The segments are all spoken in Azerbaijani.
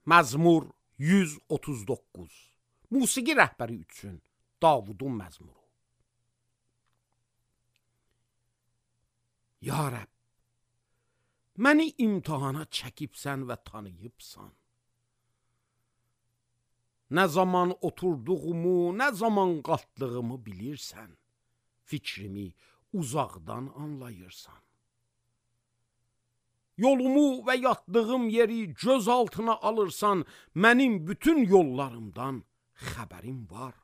Məzmur 139. Musiqi rəhbəri üçün Davudun məzmuru. Ya Rəbb, məni imtihana çəkibsən və tanıyıbsan. Nə zaman oturduğumu, nə zaman qalxdığımı bilirsən. Fikrimi uzaqdan anlayırsan. Yolumu və yatdığım yeri göz altına alırsan, mənim bütün yollarımdan xəbərim var.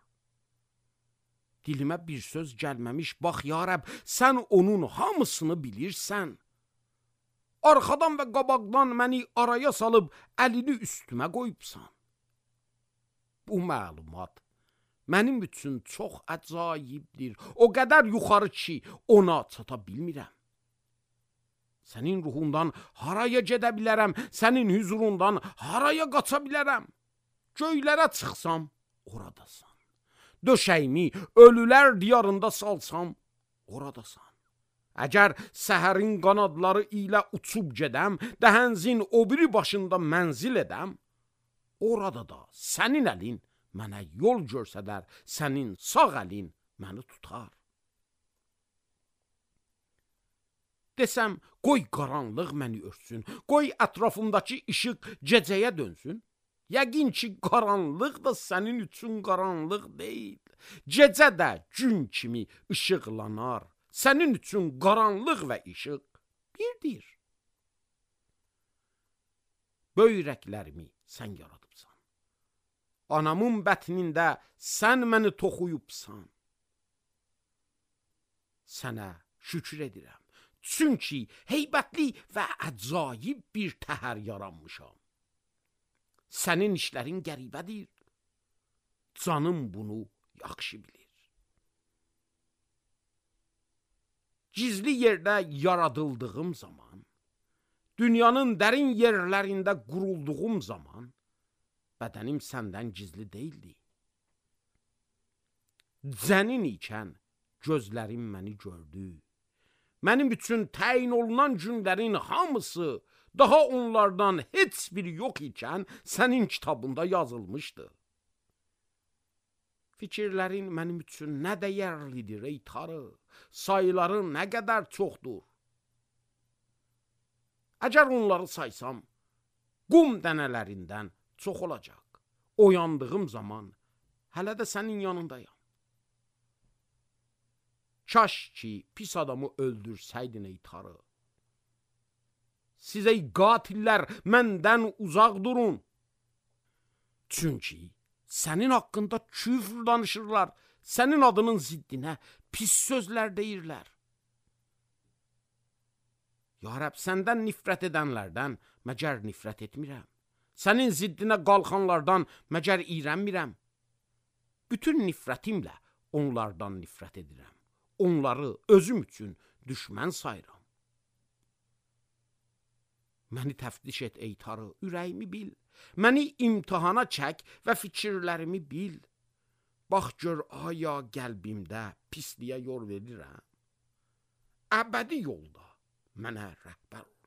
Dilimə bir söz gəlməmiş, bax ya Rəbb, sən onun hamısını bilirsən. Arxadan və qabaqdan məni araya salıb əlini üstümə qoyubsan. Bu məlumat mənim üçün çox əcayibdir. O qədər yuxarı ki, ona çata bilmirəm. Sənin ruhundan haraya gedə bilərəm, sənin hüzurundan haraya qaça bilərəm. Göylərə çıxsam, oradasan. Döşəyimi ölülər diyarında salsam, oradasan. Əgər səhərin qanadları ilə uçub gedəm, dəhənzin o biri başında mənzil edəm, orada da sənin əlin mənə yol görsədər, sənin sağ əlin məni tutar. Desəm, qoy qaranlıq məni örtsün, qoy ətrafımdakı işıq gecəyə dönsün. Yəqin ki, qaranlıq da sənin üçün qaranlıq deyil. Gecə də gün kimi işıqlanar. Sənin üçün qaranlıq və işıq birdir. Böyrəklərimi sən yaradıbsan. Anamın bətnində sən məni toxuyubsan. Sənə şükür edirəm. Çünki heybətli və əcayib bir təhər yaranmışam. Sənin işlərin qəribədir. Canım bunu yaxşı bilir. Gizli yerdə yaradıldığım zaman, dünyanın dərin yerlərində qurulduğum zaman, bədənim səndən gizli deyildi. Cənin ikən gözlərim məni gördü. Mənim üçün təyin olunan günlərin hamısı, daha onlardan heç biri yox ikən sənin kitabında yazılmışdı. Fikirlərin mənim üçün nə dəyərlidir ey Tanrı, sayıların nə qədər çoxdur. Əgər onları saysam, qum dənələrindən çox olacaq. Oyandığım zaman hələ də sənin yanındayam. Kaş ki, pis adamı öldürsəydin ey Tanrı. Siz ey qatillər, məndən uzaq durun. Çünki sənin haqqında küfr danışırlar, sənin adının ziddinə pis sözlər deyirlər. Ya Rəbb, səndən nifrət edənlərdən məgər nifrət etmirəm. Sənin ziddinə qalxanlardan məgər iyrənmirəm. Bütün nifrətimlə onlardan nifrət edirəm. Onları özüm üçün düşmən sayıram. Məni təftiş et ey Tanrı, ürəyimi bil. Məni imtihana çək və fikirlərimi bil. Bax gör, aya qəlbimdə pisliyə yol verirəm. Əbədi yolda mənə rəhbər ol.